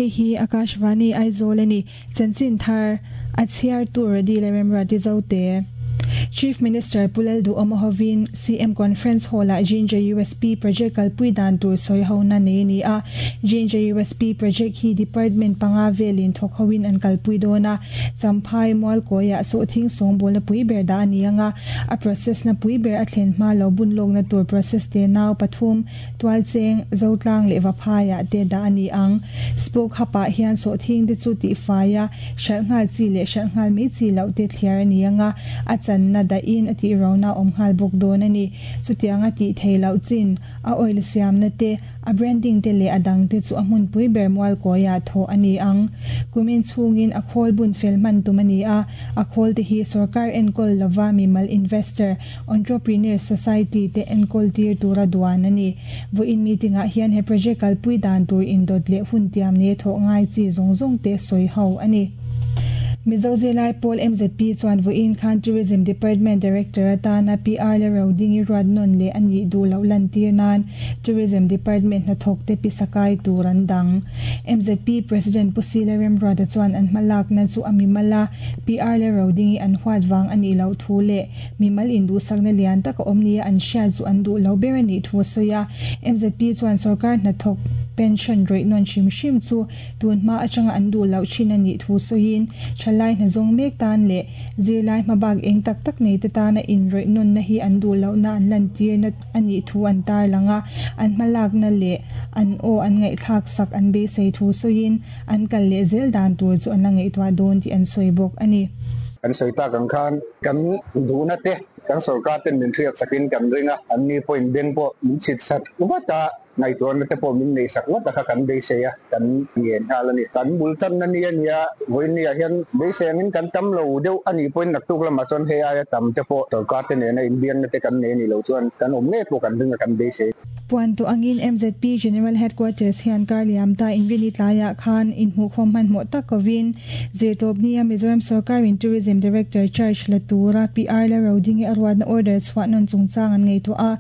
Hei hi Akashvani Aizawl a ni. Chanchin thar a chhiartu Radila Remruati Zote. Chief Minister Pu Lalduhawma hovin CM Conference Hall-ah Ginger USP Project kalpui dan tur sawi hona nei a ni a. Ginger USP Project hi Department panga velin thawk hoin an kalpui dawn a. Champhai Mualkawiah sawhthing sawngbawlna pui ber dah a ni ang a, a process na pui ber a thlen hma lo bun lawkna tur process te nau pathum, Tualcheng, Zotlang leh Vaphaiah te dah a ni ang. Spoke Hub-ah hian sawhthing te chu tihfai a, hralh nghal chi leh hralh nghal mai chi loh te thliar a ni ang a, a channa dahin a tih rona a awm nghal bawk dawn a ni. Chutianga tih theih loh chin, a oil siamna te, a branding te leh a dang te chu a hmunpui ber Mualkawiah thawh a ni ang. Kumin chhungin a khawl bun fel hman tum a ni a, a khawl te hi sorkar enkawl lova mimal investor, Entrepreneur Society te enkawl tir tura duan a ni. Vawiin meeting ah hian he project kalpui dan tur indawt leh hun tiam nei thawh ngai chi zawng zawng te sawi ho a ni. Mizo zirlai pawl MZP chuan vawiin khan Tourism Department Director atana PR le Rodingi ruat nawn leh a nih duh loh lantir nan Tourism Department hnathawk te pisa kai tur an dang. MZP President Pu Sila Remruata chuan an hmalakna chu a mimal a, PR le Rodingi an huat vang a nih loh thu leh Mimal induhsakna lian tak a awm nia an hriat chu an duh lo ber a nih thu a sawi a. MZP chuan sorkar hnathawk pension rawih nawn hrim hrim chu tun hma atanga an duh loh thin a nih thu sawiin thalai hna zawng mek tan leh zirlai hmabak eng tak tak nei te tana inrawih nawnna hi an duh lohna an lantirna a nih thu an tarlang a. An hmalakna leh an aw an ngaihthlak sak an beisei thu sawiin an kal leh zel dan tur chu an la ngaihtuah dawn tih an sawi bawk a ni. Kan sawi tak ang khan kan duhna te kan sorkar ten min hriat sakin kan ring a, an ni pawhin beng pawh min chhit sak vat a, ngaihtuahna te pawh min nei sak vat a kha kan beisei a, kan ngen nghal a ni. Kan bul tanna ni a nia, vawiin ah hian beisei angin kan tam lo deuh a nih pawhin naktuk lamah chuan hei aia tam te pawh sorkar te nena inbiakna te kan nei a nih loh chuan kan awm ngei pawh kan ring a kan beisei. Puan tawh angin MZP General Headquarters hian kar liam ta Inrini tlaiah khan inhmuhkhawm hmanhmawh tak kovin Zirtawpnia Mizoram sorkarin Tourism Director charge la tura PR la Rodingi a ruatna order chhuah nawn chungchang an ngaihtuah a.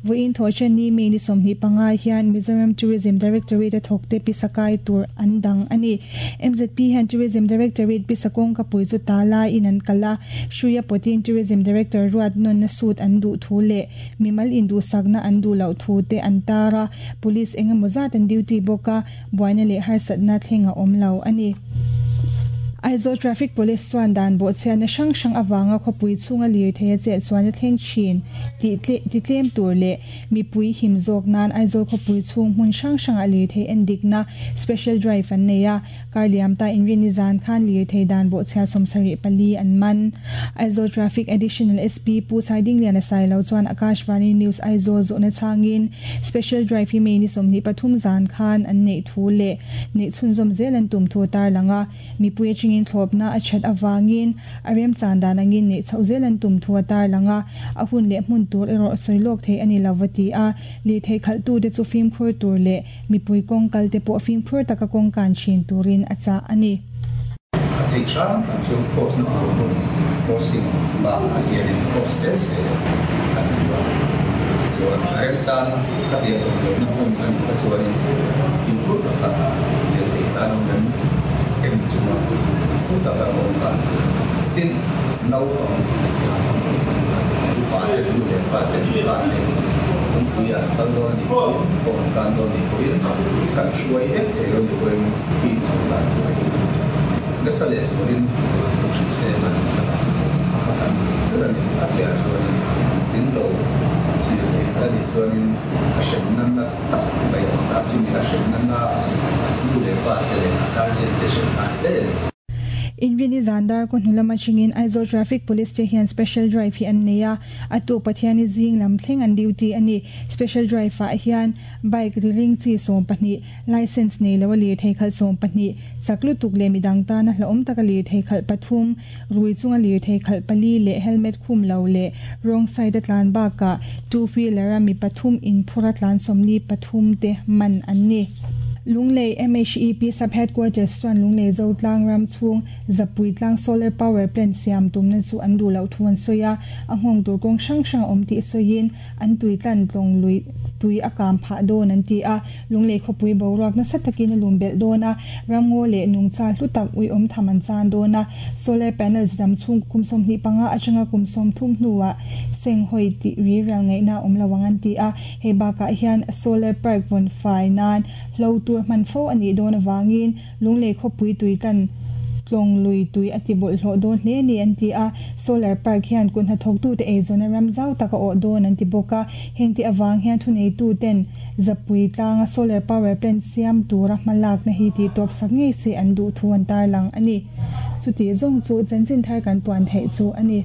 Vawiin thawhṭanni May ni 25 hian Mizoram Tourism Directorate a thawkte pisa kai tur an dang a ni. MZP hian Tourism Directorate pisa kawngkapui chu ta laiin an kal a, hruia pawtin Tourism Director ruat nawnna suit an duh thu leh Mimal induhsakna an duh loh thu te an tar a, police eng emaw zat an duty bawk a, buaina leh harsatna thleng a awm lo a ni. Aizawl Traffic Police chuan dan bawhchhiatna hrang hrang avanga khawpui chhunga lirthei a chet chuan a thleng thin tih titlem tur leh mipui him zawk nan Aizawl khawpui chhung hmun hrang hrangah lirthei endikna special drive an nei a, Kar liam ta inrinni zan khan lirthei dan bawhchhia 74 an man. Aizawl Traffic Additional SP Pu Saidingliana Sailo chuan Akashvani News Aizawl zawhna chhangin Special Drive hi May ni 23 zan khan an neih thu leh neih chhunzawm zel an tum thu a tarlang a, mipui atangin thlawpna a that avangin a remchan dan angin neih chhoh zel an tum thu a tarlang a, a hun leh hmun tur erawh sawi lawk theih a ni lo va ti a, lirthei khalhtute chu fimkhur tur leh Mipui kawng kal te pawh fimkhur taka kawng kan thin turin a chah a ni. A theih hram hram chu cross na tur hmun crossing bakah hianin cross tel se kan ti a. Tichuan a remchang ka biak awm lohna hmun a nih kha chuanin fimkhur taka lirthei tan awm em em chunga fimkhur taka awm kan tin naupang upa te nu leh pa te nula te kawngpui ah an kal dawn a nih pawhin kawng an tan dawn a nih pawhin kan hruai vek thei lo nih pawhin fimkhur dan tur hi nasa leh zualin thu hrilh se a chhan chhan a a kha kan duh ber a ni a piah chuanin tin lo hlir thei kha a nih chuanin a hremna na tak mai a awm ta chumi a hremna na chu nu leh pa te leh a guardian te hremna a ni daih a ni. Inrini zan dar kaw hnu lam atangin Aizawl Traffic Police te hian Special Drive hi an nei a, a tuk Pathiani zing lam thleng an duty a ni. Special Drive ah hian Bike ri ring chi 12, Licence nei lo a lirthei khalh 12, chak lutuk leh midang tana hlauhawm taka lirthei khalh pathum, rui chunga lirthei khalh pali leh helmet khum lo leh wrong side a tlan bakah two wheeler a mi pathum inphur a tlan 43 te man an ni. Lunglei MHEP Sub Headquarters chuan Lunglei Zotlang ram chhung Zapui tlang Solar Power Plant siam tumna chu an duh loh thu an sawi a, a nghawng tur kawng hrang hrang a awm tih sawiin an tui tlan tlawng lui tui a kam phah dawn an ti a. Lunglei khawpui boruak nasa takin a lum belh dawn a, ramngaw leh nungcha hlu tak uiawm tham an chan dawn a. Solar panels dam chhung kum 25 atanga kum 30 hnuah senghawi tih ri rial ngaihna a awm lo ang an ti a. Hei bakah hian solar park vawn fai nan hlo tur hman fo a nih dawn avangin Lunglei khawpui tui tlan tlawng lui tui a ti bawlhhlawh dawn hle a ni an ti a. Solar park hian kut hnathawktute eizawnna ram zau tak a awh dawn an ti bawk a. Hengte avang hian thuneituten Zapui tlanga solar power plant siam tura hmalakna hi tihtawp sak ngei se an duh thu an tarlang a ni. Chutih zawng chu chanchin thar kan puan theih chu a ni.